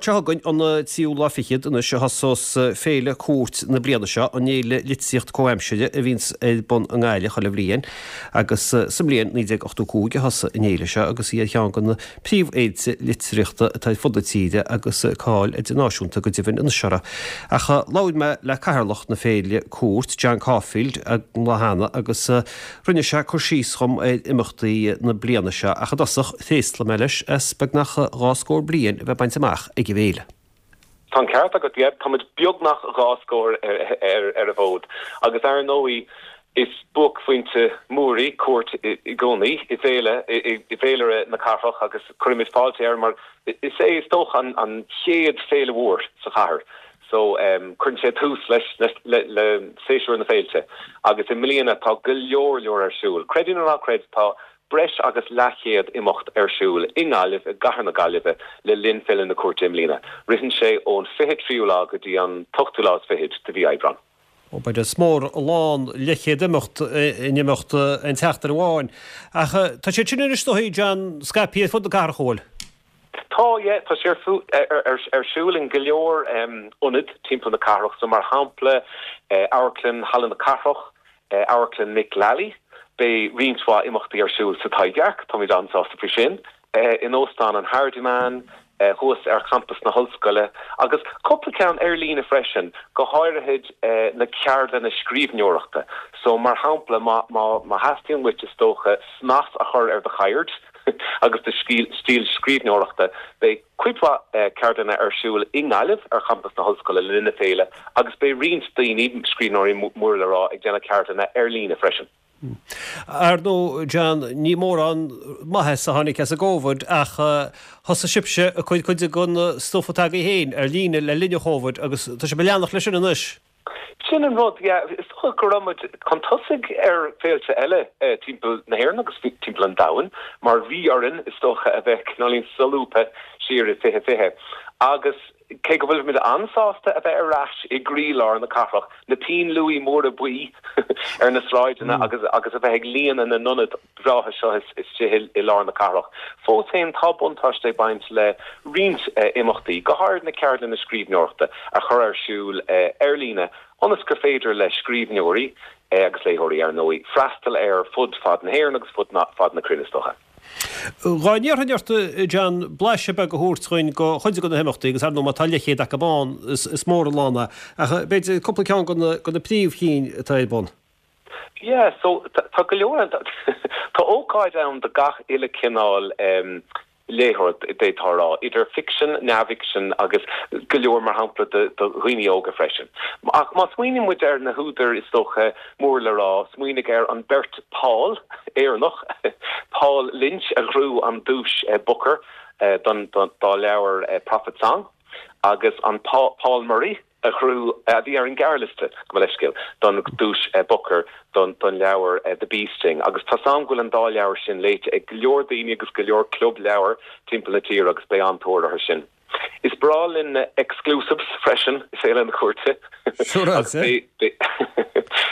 Máirt seo chugainn, an tríú lá fichead anois, a thosós Féile Cúirt na bliana seo, an fhéile litríocht comhaimsire a bhíonns ar bun i nGaillimh chuile bhliain, agus sa mbliain 1985 a thosaigh an fhéile seo agus í ar cheann de na príomhfhéilte litríochta atá ar fud na tíre agus cáil idirnáisiúnta go deimhin anois uirthi. Ach labhair mé le cathaoirleach na féile Cúirt, John Caulfield, an lá cheana agus rinne sé cur síos dhom ar imeachtaí na bliana seo ach i dtosach thréaslaigh mé leis as beagnach 2 scór bliain a bheith bainte amach ag an bhféile. Tá an ceart agat, yeah. Tá muid beagnach 2 scór ar an bhfód agus ar ndóigh is buaicphointe mór í Cúirt i gcónaí i bhféile, i bhféilire na cathrach agus cuirimid fáilte air mar is é is dócha an chéad féile mhór sa chathair so cuireann sé tús leis le séasúr na féilte agus i mbliana tá go leor leor ar siúl. Creid é nó ná creid tá breis agus leathchéad imeacht ar siúl i nGaillimh, i gcathair na Gaillimhe, le linn Féile na Cúirte i mbliana. Ritheann sé ón 23ú lá go dtí an t-ochtú lá is fichead de mhí Aibreán. Ó, b'fhéidir is mór an lán leathchéad imeacht in imeacht aon tseachtain amháin. Ach tá siad sin anois is dóigh, John, scaipthe ar fud na cathrach, an bhfuil? Tá, yeah. Tá sé ar siúl in go leor ionad timpeall na cathrach. So mar shampla, Amharclann Halla na Cathrach, Amharclann Mick Lally, beidh roinnt mhaith imeachtaí ar siúl sa Taibhdhearc, táimid an-sásta faoi sin, in Óstán an Hardiman, thuas ar champas na hollscoile, agus cúpla ceann ar líne freisin, go háirithe na ceardlanna scríbhneoireachta. So mar shampla, má má theastaíonn uait, is dócha, snas a chur ar do cheird agus do stíl scríbhneoireachta, beidh. cuid mhaith ceardlanna ar siúl i nGaillimh ar champas na hollscoile le linn na féile agus beidh roinnt daoine, scríbhneoirí mór le rá, ag déanamh ceardlanna ar líne freisin. Ar ndóigh, John, ní mórán maitheas a tháinig as an gCóvid ach thosaigh sibhse ag cur cuid den stuif atá agaibh féin ar líne le linn an Chóvid agus tá sibh ag leanacht leis sin anois. Sin an rud, yeah. Is dócha go raibh muid chun tosaigh ar féilte eile timpeall na hÉireann agus timpeall an domhain mar bhí orainn, is dócha, a bheith cineáilín solúbtha siar i 2020. Agus cé go bhfuilimid an-sásta a bheith ar ais i gcroílár na cathrach, na pinn luaidhe móra buí ar na sráideanna agus agus a bheith ag líonadh na n-ionad breátha seo istigh i lár na cathrach. Fós féin, tá buntáiste ag baint le roinnt imeachtaí, go háirid na ceardlanna scríbhneoireachta, a chur ar siúl ar líne ionas gur féidir le scríbhneoirí, agus léitheoirí ar ndóigh, freastal air fud fad na hÉireann agus fud fad na cruinne, is dócha. Dá n-iarrfainn ort, a John, blaiseadh beag a thabhairt dhuinn de chuid de na himeachtaí, agus ar ndóigh má tá leathchéad acu ann, is mór an lán é, ach b'fhéidir cúpla ceann de na príomhchinn atá ar bun. Yeah, so tá go leor ann. Tá ócáid ann do gach uile cineál léitheoir, d'fhéadfá a rá, idir ficsean, neamhfhicsean agus go leor, mar shampla, do dhaoine óga freisin. Ach má smaoiníonn muid ar na húdair is dócha mór le rá, smaoinigh ar an beirt Paul, Éireannach, Paul Lynch a ghnóthaigh an duais Booker don dá leabhar Prophet Song agus an Paul Murray, a ghnóthaigh, a bhí ar an ghearrliosta, gabh mo leithscéal, don duais Booker don leabhar The Bee Sting agus tá's a'm go bhfuil an dá leabhar sin léite ag go leor daoine agus go leor club leabhar timpeall na tíre agus beidh an-tóir orthu sin. Is breá linn na exclusives freisin i Féile na Cúirte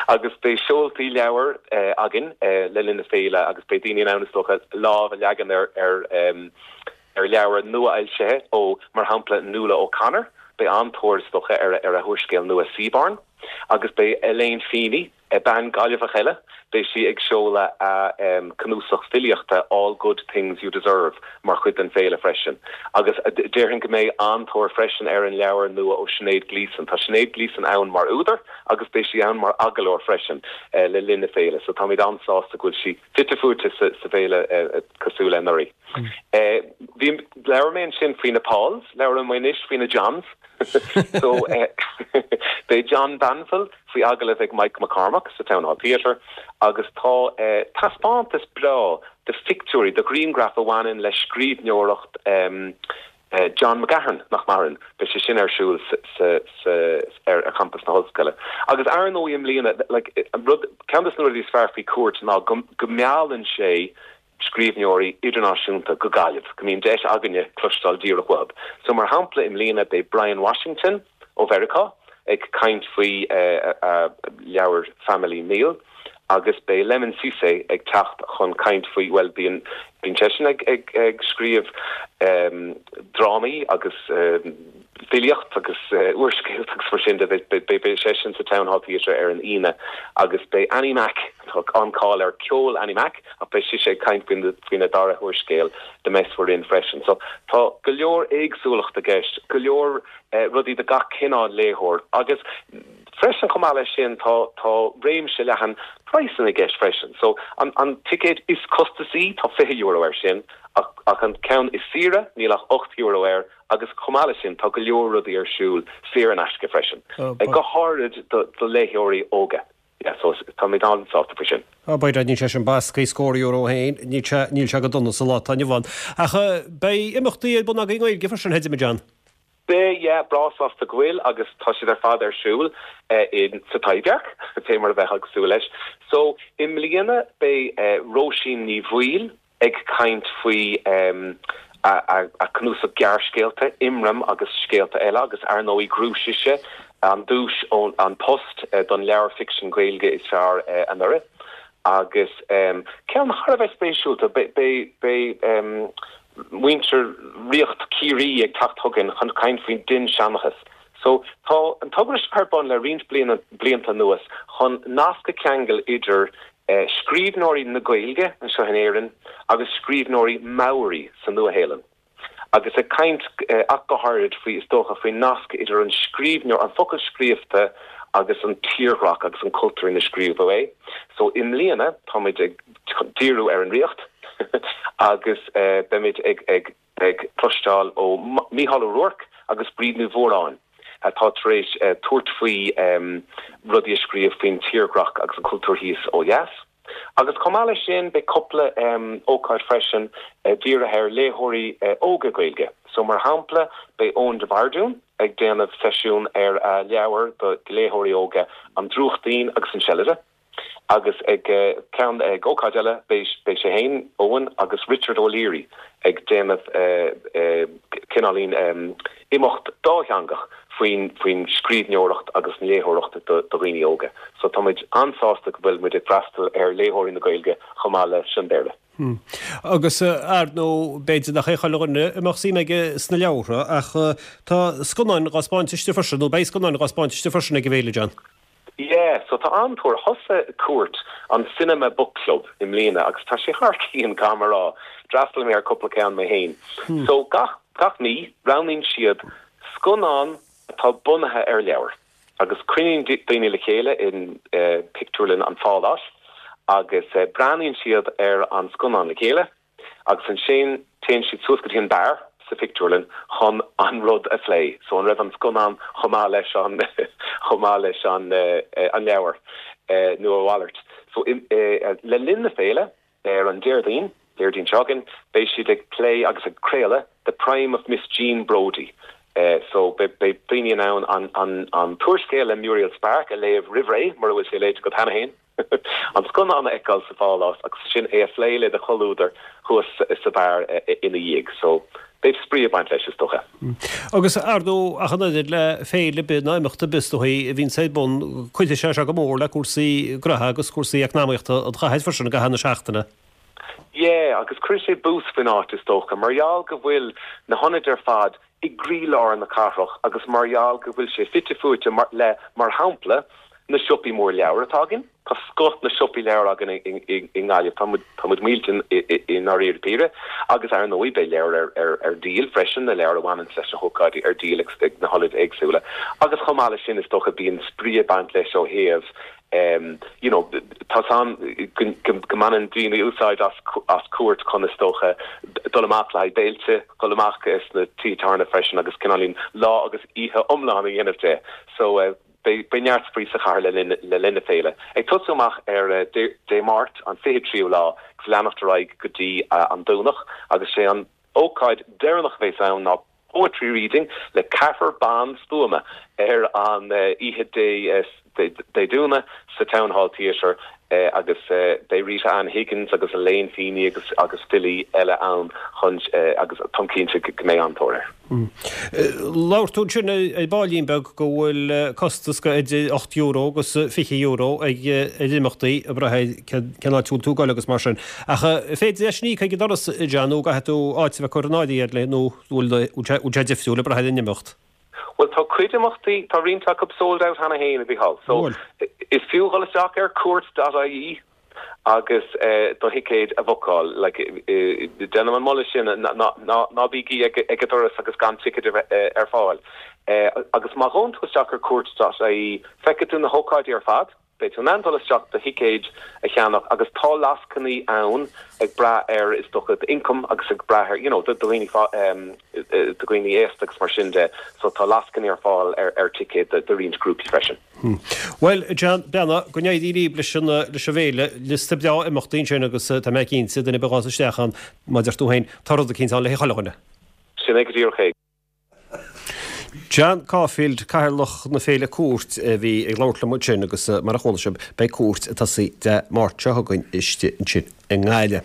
agus beidh seoltaí leabhar againn le linn na féile agus beidh daoine in ann is dócha lámh a leagan ar ar leabhar nua-fhoilsithe ó, mar shampla, Nuala O'Connor, beidh an-tóir, is dócha, ar a húrscéal nua Seaborn, agus beidh Elaine Feeney, bean Gaillimheach eile, beidh sí ag seoladh a cnuasach filíochta All Good Things You Deserve mar chuid den féile freisin. Agus déarfainn go mbeidh an-tóir freisin ar an leabhar nua ó Sinéad Gleeson. Tá Sinéad Gleeson ann mar údar agus beidh sí ann mar agallóir freisin le linn na féile, so táimid an-sásta go bhfuil sí fite fuaite sa bhféile cosúil le anuraidh. Bhí, labhair mé ansin faoi na Pauls, labhróidh mé anois faoi na Johns. So, beidh John Banville faoi agallamh ag Mike McCormack sa Town Hall Theatre agus tá taispeántas breá de phictiúirí, de ghrianghraif a bhaineann le scríbhneoireacht John McGahern, nach maireann. Beidh sé sin ar siúl sa, ar champas na hollscoile. Agus ar ndóigh i mbliana, like, an rud, ceann de na rudaí is fearr faoi Cúirt ná go, go meallann sé scríbhneoirí idirnáisiúnta go Gaillimh, go mbíonn deis againne cloisteáil díreach uathu. So mar shampla i mbliana beidh Bryan Washington ó Mheiriceá ag caint faoi a leabhar Family Meal. Agus beidh Lemn Sissay ag teacht chun caint faoi, bhuel, bíonn, bíonn seisean ag, ag, ag scríobh drámaí agus filíocht agus úrscéalta agus mar sin de. Beidh, beidh seisean sa Town Hall Theatre ar an Aoine agus beidh Annie Mac, tá an-cáil ar ceol Annie Mac, ach beidh sise ag caint faoin, faoina dara húrscéal, The Mess We're In freisin. So tá go leor éagsúlacht i gceist, go leor rudaí do gach cineál léitheoir agus freisin chomh maith leis sin tá tá réimse leathan praghsanna i gceist freisin. So an an ticéad is costasaí tá €20 air sin ach ach an ceann is saoire níl ach €8 air agus chomh maith leis sin tá go leor rudaí ar siúl saor in aisce freisin, go háirid do do léitheoirí óga. Yeah, so táimid an-sásta faoi sin. Á, b'fhéidir, níl sé sin basctha, scór euro féin, níl sé, níl sé go dona sa lá atá inniu ann. Ach beidh imeachtaí ar bun agaibh i nGaeilge freisin, a John? Beidh, yeah, breá sásta go bhfuil agus tá siad ar fad ar siúl in, sa Taibhdhearc, fé mar a bheifeá ag súil leis. So, i mbliana beidh Róisín Ní Bhaoill, ag caint faoi a cnuasach gearrscéalta, Imram agus Scéalta Eile agus ar ndóigh ghnóthaigh sise an duais ón An Post don leabhar ficsin Gaeilge is fearr anuraidh. Agus ceann thar a bheith spéisiúlta, beidh muintir Ríocht Chiarraí ag teacht chugainn chun caint faoin dinnseanchas. So tá an togra seo ar bun le roinnt blianta anuas chun nasc a cheangal idir scríbhneoirí na Gaeilge anseo in Éirinn agus scríbhneoirí Maori sa Nua-Shéalainn, agus ag caint ach go háirid faoi, is dócha, faoin nasc idir an scríbhneoir, an focal scríofa agus an tírdhreach agus an cultúr ina scríobhadh é. So i mbliana táimid ag díriú ar an Ríocht agus beimid ag ag ag cloisteáil ó Mícheál Ó Ruairc agus Bríd Ní Mhóráin atá tar éis tabhairt faoi rudaí a scríobh faoin tírdhreach agus an cultúr thíos ó dheas. Agus chomh maith leis sin beidh cúpla ócáid freisin dírithe ar léitheoirí óga Gaeilge. So mar shampla beidh Eoin de Bhardún ag déanamh seisiún ar a leabhar do léitheoirí óga An Drúchtín agus an Seilide. Agus ag ceann, ag ócáid eile, beidh sé féin, Eoin agus Richard O'Leary ag déanamh cineáilín imeacht dátheangach faoin faoin scríbhneoireacht agus an léitheoireacht do dhaoine óga. So tá muid an-sásta go bhfuil muid ag freastal ar léitheoirí na Gaeilge chomh maith leis an Béarla. Agus ar ndóigh, b'fhéidir nach é chuile dhuine a mbeadh suim aige sna leabhartha ach tá scannáin dhá spáint istigh freisin, nó beidh scannáin dhá spáint istigh freisin ag an bhféile, John. Yeah, so tá an-tóir. Thosaigh Cúirt an Cinema Book Club i mbliana agus tá sé thar cionn, caithfidh mé a rá. D'fhreastail mé ar cúpla ceann mé féin. So gach, gach mí, roghnaíonn siad scannán atá bunaithe ar leabhar agus cruinníonn daoine le chéile in pictiúrlann an Pháláis agus breathnaíonn siad ar an scannán le chéile. Agus ansin téann siad suas go dtí an beár sa phictiúrlann chun an rud a phlé. So an raibh an scannán chomh maith leis an chomh maith leis an an leabhar nó a mhalairt. So le linn na féile ar an Déardaoin, Déardaoin seo chugainn, beidh siad ag plé agus ag craoladh The Prime of Miss Jean Brodie. So beidh daoine in ann an an an t-úrscéal le Muriel Spark a léamh roimh ré mura bhfuil sé léite agat cheana féin. an scannán a fheiceáil sa phálás agus ansin é a phlé le do chomhluadar thuas sa bheár ina dhiaidh. So, beidh spraoi ag baint leis, is dócha. Agus, ar ndóigh, ach an oiread le féile ar bith nó imeacht ar bith, is dóigh, a bhíonns ar bun, cuirfidh sé seo go mór le cúrsaí gnoithe agus cúrsaí eacnamaíochta an chathair freisin i gcaitheamh na seachtaine. Yeah, agus cuirfidh sé bús faoin áit, is dócha, mar gheall go bhfuil na hionaid ar fad i gcroílár na cathrach agus mar gheall go bhfuil sé fite fuaite le, mar shampla, na siopaí mór leabhar atá againn. Tá scoth na siopaí leabhar againn i nGaillimh, tá muid, tá muid millte i ndáiríre píre. Agus ar ndóigh beidh leabhair ar díol freisin, na leabhair a bhaineanns leis na hócáidí ar díol ag na hionaid éagsúla. Agus chomh maith leis sin is dócha bíonn spraoi ag baint leis ó thaobh you know, tá's a'm go mbaineann daoine úsáid as as Cúirt chun is dócha dul amach le haghaidh béilte, dul amach sna tithe tábhairne freisin agus cineáilín lá agus oíche iomlán a dhéanamh de. So beidh beidh neart spraoi sa chathair le linn le linn na féile. Ag tosú amach ar Dé Dé Máirt an 23ú lá agus leanacht ar aghaidh go dtí an Domhnach agus sé an ócáid deireanach a bheas ann ná Poetry Reading le ceathrar ban stuama ar an oíche Dé Domhnaigh sa Town Hall Theatre. Agus beidh Rita Ann Higgins agus Elaine Feeney agus agus filí eile ann chun agus táim cinnte go mbeidh an-tóir air. Labhair tú ansin ar baillín beag go bhfuil costas go idir €8 agus €20 ag ar imeachtaí ag brath ar cén áit a bhfuil tú ag dul agus mar sin. Ach féidir leis sin íoc ag an doras, John, nó gcaithfidh tú áit a bheith curtha in áirithe agat nó bhfuil sé difriúil ag brath ar an imeacht? Bhuel, tá cuid imeachtaí, tá roinnt acu sold out cheana féin, a Mhícheál. So, is fiú dhul isteach ar cúirt dot ie agus do thicéid a bhookáil. Like, déanaim an moladh sin, ná bígí ag an doras agus gan ticéid ar fáil. Agus má ghabhann tú isteach ar cúirt dot ie, feicfidh tú na hócáidí ar fad. Beidh tú in ann dul isteach do thicéid a cheannach agus tá lascainí ann ag brath ar, is dócha, d'ioncam agus ag brath ar, you know, do dhaoine, do dhaoine aosta agus mar sin de. So tá lascainí ar fáil ar ar ticéid do roinnt grúpaí freisin. Bhuel, John Breathnach, go n-éirí libh leis an leis an bhféile. Liosta breá imeachtaí ansin agus tá mé cinnte, duine ar bith a ghabhfas isteach ann, mar a deir tú féin, tá rud eicínt ann le haghaidh chuile dhuine. Sin é go díreach é. John Caulfield, Cathaoirleach na Féile Cúirt, a bhí ag labhairt liom ansin agus mar a chuala sibh, beidh Cúirt ag tosaí Dé Máirt seo chugainn istigh ansin i nGaillimh.